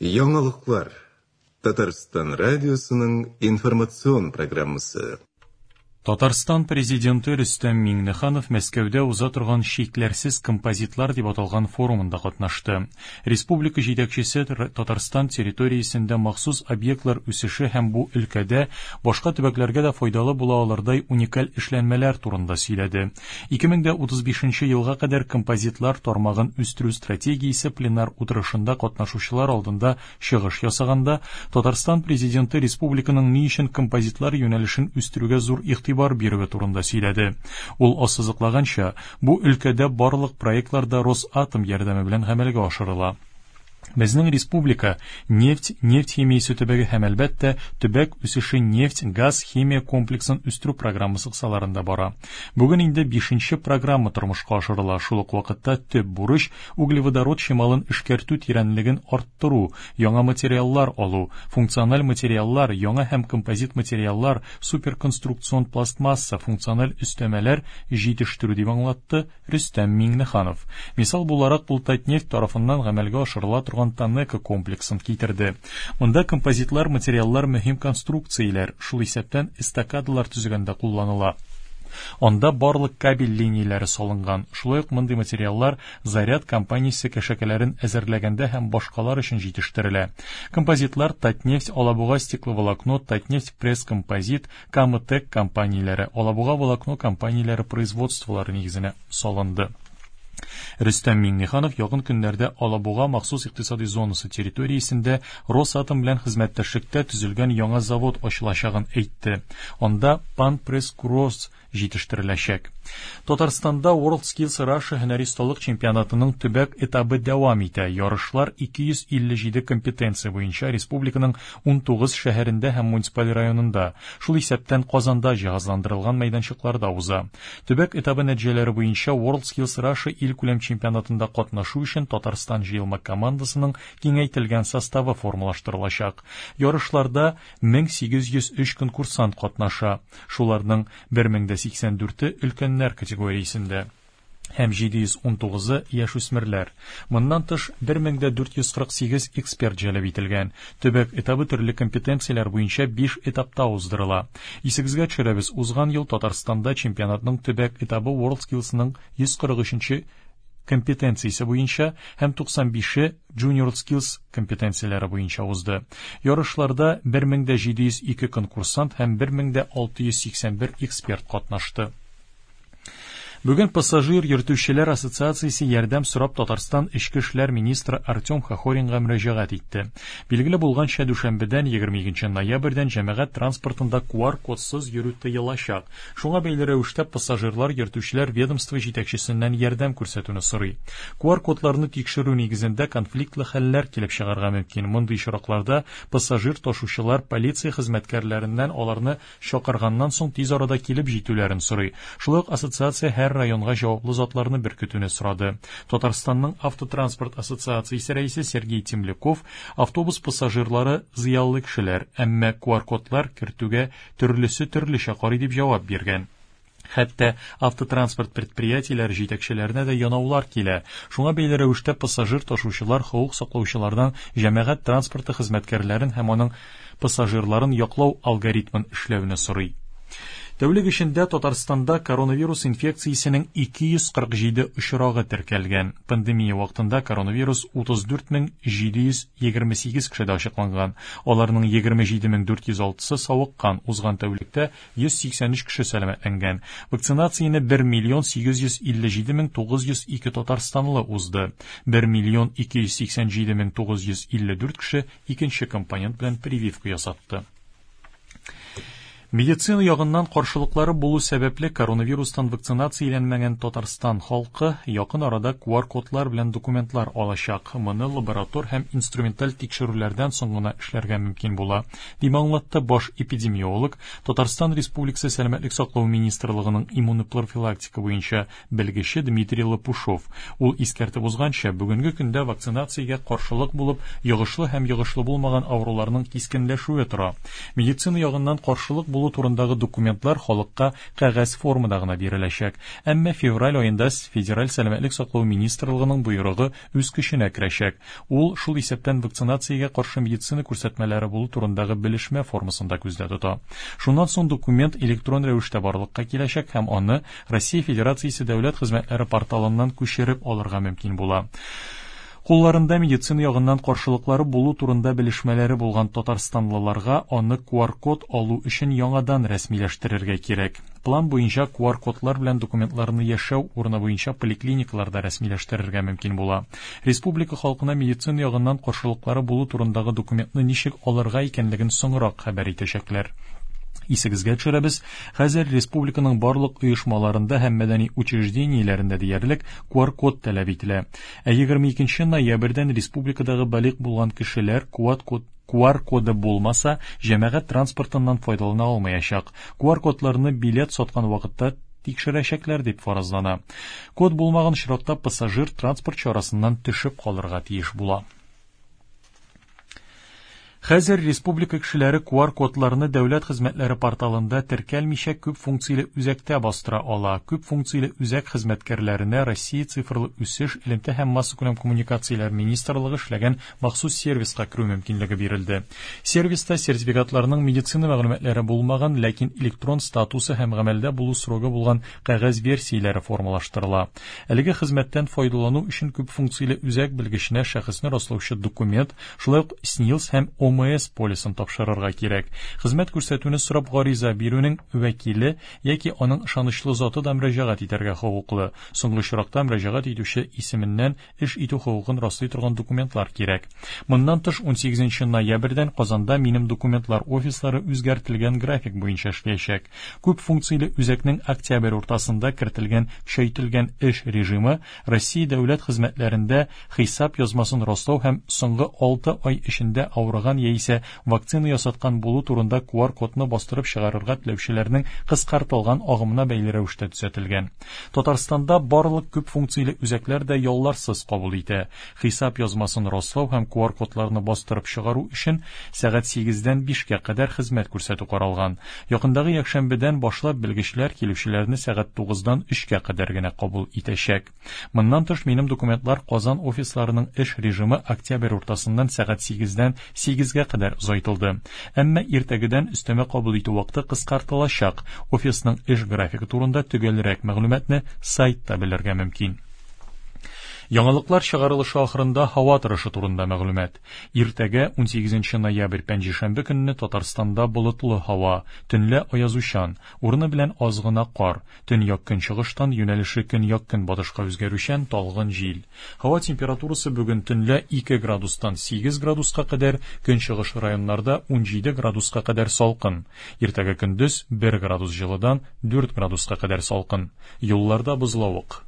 Яңалыклар. Татарстан радиосының информацион программасы. Татарстан Президенты Рөстәм Миңнеханов Мәскәүдә уза торган Чикләрсез композитлар дип аталган форумында катнашты. Республика җитәкчесе Татарстан территориясендә махсус объектлар үсеше һәм бу өлкәдә башка төбәкләргә дә файдалы була алырдай уникаль эшләнмәләр турында сөйләде. 2035 елга кадәр композитлар тармагын үстерү стратегиясе пленар утырышында катнашучылар алдында чыгыш ясаганда, Татарстан Президенты республиканың ни өчен композитлар юнәлешен үстерүгә зур игътибар бирүе турында сөйләде. Ул ассызыклаганча, бу өлкәдә барлык проектлар да Росатом ярдәме белән гамәлгә ашырыла. Безнең республика нефть, нефть химиясе төбәге һәм, әлбәттә, төбәк үсеше нефть, газ, химия комплексын үстерү программасы кысаларында бара. Бүген инде бишенче программа тормышка ашырыла. Шул ук вакытта төп бурыч углеводород чималын эшкәртү тирәнлеген арттыру, яңа материаллар алу, функциональ материаллар, яңа һәм композит материаллар, суперконструкцион пластмасса, функциональ өстәмәләр җитештерү, дип аңлатты Рөстәм Миңнеханов. Мисал буларак ул Татнефть тарафыннан гамәлгә ашырыла торган Танеко комплексын китерде. Монда композитлар материаллар мөһим конструкцияләр, шул исәптән эстакадалар төзегәндә кулланыла. Анда барлык кабель линияләре салынган. Шулай ук мондый материаллар Заряд компаниясе кәшәкәләрен әзерләгәндә һәм башкалар өчен җитештерелә. Композитлар Татнефть Алабуга стекловолокно, Татнефть пресс композит, Кама-Тек компанияләре, Алабуга волокно компанияләре производстволары нигезенә салынды. Рөстәм Миңнеханов якын көннәрдә Алабуга махсус икътисади зонасы территориясендә Росатом белән хезмәттәшлектә төзелгән яңа завод ачылачагын әйтте. Анда Панпресс Кросс җитештереләчәк. Татарстанда WorldSkills Russia һөнәри осталык чемпионатының төбәк этабы дәвам итә. Ярышлар 257 компетенция буенча республиканың 19 шәһәрендә һәм муниципаль районында, шул исәптән Казанда җиһазландырылган мәйданчыкларда уза. Төбәк этабы нәтиҗәләре буенча WorldSkills Russia илкүләм чемпионатында катнашу өчен Татарстан җыелма командасының киңәйтелгән составы формалаштырылачак. Ярышларда 1803 конкурсант катнаша, шуларның 1084-е өлкәннәр категориясендә һәм 719-ы яшүсмерләр. Моннан тыш, 1448 эксперт җәлеп ителгән. Төбәк этабы төрле компетенцияләр буенча 5 этапта уздырыла. Исегезгә төшерәбез, узган ел Татарстанда чемпионатның төбәк этабы WorldSkills-ның 143 компетенциясе буенча һәм 95-е Junior Skills компетенцияләре буенча узды. Ярышларда 1702 конкурсант һәм 1681 эксперт катнашты. Бүген пассажир йөртүчеләр ассоциациясе ярдәм сорап Татарстан Эчке эшләр министры Артем Хохоринга мөрәҗәгать итте. Билгеле булганча, дүшәмбедән 22 ноябрьдән җәмәгать транспортында QR-кодсыз йөрү тыелачак. Шуңа бәйле рәвештә пассажирлар йөртүчеләр ведомство җитәкчесеннән ярдәм күрсәтүне сорый. QR-кодларны тикшерү нигезендә конфликтлы хәлләр килеп чыгарга мөмкин. Мондый очракларда пассажир ташучылар полиция хезмәткәрләреннән аларны чакырганнан соң тиз арада килеп җитүләрен сорый. Шулай ук ассоциация һәр районга җаваплы затларны беркетүне сорады. Татарстанның автотранспорт ассоциациясе рәисе Сергей Темляков автобус пассажирлары зыялы кешеләр, әмма QR-кодлар кертүгә төрлесе төрлечә карый дип җавап биргән. Хәтта автотранспорт предприятиеләре җитәкчеләренә дә янаулар килә. Шуңа бәйле рәвештә пассажир ташучылар хокук саклаучылардан җәмәгать транспорты хезмәткәрләрен һәм аның пассажирларын яклау алгоритмын эшләүне сорый. Тәүлек эчендә Татарстанда коронавирус инфекциясенең 247 очрагы теркәлгән. Пандемия вакытында коронавирус 34728 кешедә ачыкланган. Аларның 27406-сы савыккан. Узган тәүлектә 183 кеше сәламәтләнгән. Вакцинацияне 1 миллион 857 мең 902 татарстанлы узды. 1 миллион 287 мең 954 кеше икенче компонент белән прививка ясатты. Медицина ягыннан каршылыклары булу сәбәпле коронавирустан вакцинацияләнмәгән Татарстан халкы якын арада QR-кодлар белән документлар алачак. Моны лаборатор һәм инструменталь тикшерүләрдән соң гына эшләргә мөмкин була, дип аңлатты баш эпидемиолог, Татарстан Республикасы Сәламәтлек саклау министрлыгының иммунопрофилактика буенча белгече Дмитрий Лопушов. Ул искәртеп узганча, бүгенге көндә вакцинациягә каршылык булып, йогышлы һәм йогышлы булмаган авыруларның кискенләшүе тора. Медицина ягыннан каршылык булу булу турындагы документлар халыкка кәгазь формада гына биреләчәк. Әмма февраль аенда Федераль сәламәтлек саклау министрлыгының боерыгы үз көченә керәчәк. Ул шул исәптән вакцинациягә каршы медицина күрсәтмәләре булу турындагы белешмә формасында күздә тота. Шуннан соң документ электрон рәвештә барлыкка киләчәк һәм аны Россия Федерациясе дәүләт хезмәтләре порталыннан күчереп алырга мөмкин була. Кулларында медицина ягыннан каршылыклары булу турында белешмәләре булган татарстанлыларга аны QR-код алу өчен яңадан рәсмиләштерергә кирәк. План буенча QR-кодлар белән документларны яшәү урыны буенча поликлиникаларда рәсмиләштерергә мөмкин була. Республика халкына медицина ягыннан каршылыклары булу турындагы документны ничек алырга икәнлеген соңрак хәбәр итәчәкләр. Исегезгә төшерәбез, хәзер республиканың барлык оешмаларында һәм мәдәни учреждениеләрендә диярлек QR-код таләп ителә. Ә 22 ноябрьдән республикадагы балигъ булган кешеләр QR коды булмаса, җәмәгать транспортыннан файдалана алмаячак. QR-кодларны билет саткан вакытта тикшерәчәкләр дип фаразлана. Код булмаган очракта пассажир транспорт чарасыннан төшеп калырга тиеш була. Хәзер республика кешеләре QR-кодларны дәүләт хезмәтләре порталында теркәлмичә күп функцияле үзәктә бастыра ала. Күп функцияле үзәк хезмәткәрләренә Россия цифрлы үсеш, элемтә һәм массакүләм коммуникацияләр министрлыгы эшләгән махсус сервиска керү мөмкинлеге бирелде. Сервиста сертификатларның медицина мәгълүматлары булмаган, ләкин электрон статусы һәм гамәлдә булу срогы булган кәгазь версияләре формалаштырыла. Әлеге хезмәттән файдалану өчен күп функцияле үзәк белгеченә шәхесне раслаучы документ, шулай ук СНИЛС һәм ОМС полисын тапшырырга кирәк. Хезмәт күрсәтүне сорап гариза бирүнең вәкиле яки аның ышанычлы заты да мөрәҗәгать итәргә хокуклы. Соңгы очракта мөрәҗәгать итүче исеменнән эш итү хокукын раслый торган документлар кирәк. Моннан тыш 18 ноябрьдән Казанда минем документлар офислары үзгәртелгән график буенча эшләячәк. Күп функцияле үзәкнең октябрь уртасында кертелгән көчәйтелгән эш режимы Россия дәүләт хезмәтләрендә хисап язмасын раслау һәм соңгы 6 ай эчендә авырган яисә вакцина ясаткан булу турында QR-кодны бастырып чыгарырга теләүчеләрнең кыскартылган агымына бәйле рәвештә төзәтелгән. Татарстанда барлык күп функцияле үзәкләр дә ялларсыз кабул итә. Хисап язмасын раслау һәм QR-кодларны бастырып чыгару өчен сәгать 8-дән 5-кә кадәр хезмәт күрсәтү каралган. Якындагы якшәмбедән башлап белгечләр килүчеләрне сәгать 9-дан 3-кә кадәр генә кабул итәчәк. Моннан тыш минем документлар Казан офисларының эш режимы октябрь уртасыннан сәгать 8-дән 8-гә кадәр озайтылды. Әмма иртәгедән өстәмә кабул итү вакыты кыскартылачак. Офисның эш графигы турында төгәлрәк мәгълүматны сайтта белергә мөмкин. Яңалыклар чыгарылышы ахырында һава торышы турында мәгълүмат. Иртәгә 18 ноябрь пәнҗешәмбе көнне Татарстанда болытлы һава, төнлә аязучан, урыны белән аз гына кар, төньяк көнчыгыштан юнәлеше көньяк көнбатышка үзгәрүчән талгын җил. Һава температурасы бүген төнлә 2 градустан 8 градуска кадәр, көнчыгыш районнарда 17 градуска кадәр салкын. Иртәгә көндез 1 градус җылыдан 4 градуска кадәр салкын. Юлларда бозлавык.